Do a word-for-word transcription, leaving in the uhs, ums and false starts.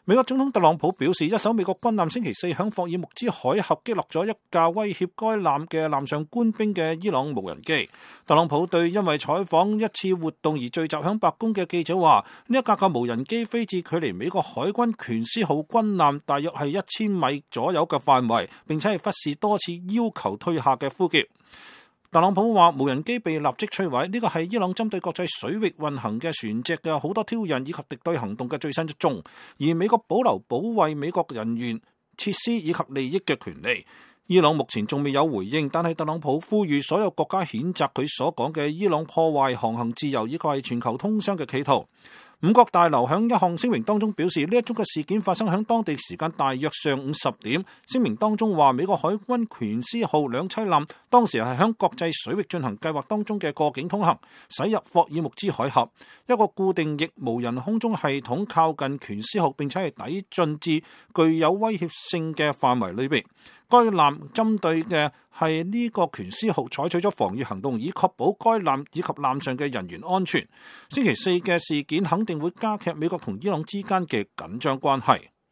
美國總統特朗普表示，一艘美國軍艦星期四響霍爾木茲海峽擊落咗一架威脅該艦嘅艦上官兵嘅伊朗無人機。特朗普對因為採訪一次活動而聚集響白宮嘅記者話：呢一架架無人機飛至距離美國海軍權師號軍艦大約係一千米左右嘅範圍，並且係忽視多次要求退下嘅呼叫。特朗普話無人機被立即摧毀，呢個係伊朗針對國際水域運行嘅船隻嘅好多挑釁以及敵對行動嘅最新一宗，而美國保留保衛美國人員、設施以及利益嘅權利。伊朗目前仲未有回應，但係特朗普呼籲所有國家譴責佢所講嘅伊朗破壞航行自由以及係全球通商嘅企圖。五角大樓響一項聲明當中表示，呢一宗嘅事件發生響當地時間大約上午十點。聲明當中話，美國海軍權師號兩棲艦當時係響國際水域進行計劃當中嘅過境通行，駛入霍爾木茲海峽。一個固定翼無人空中系統靠近權師號，並且係抵進至具有威脅性嘅範圍裏邊。該艦針對嘅係呢個權師號採取咗防禦行動，以確保該艦以及艦上嘅人員安全。星期四嘅事件肯定會加劇美國同伊朗之間嘅緊張關係。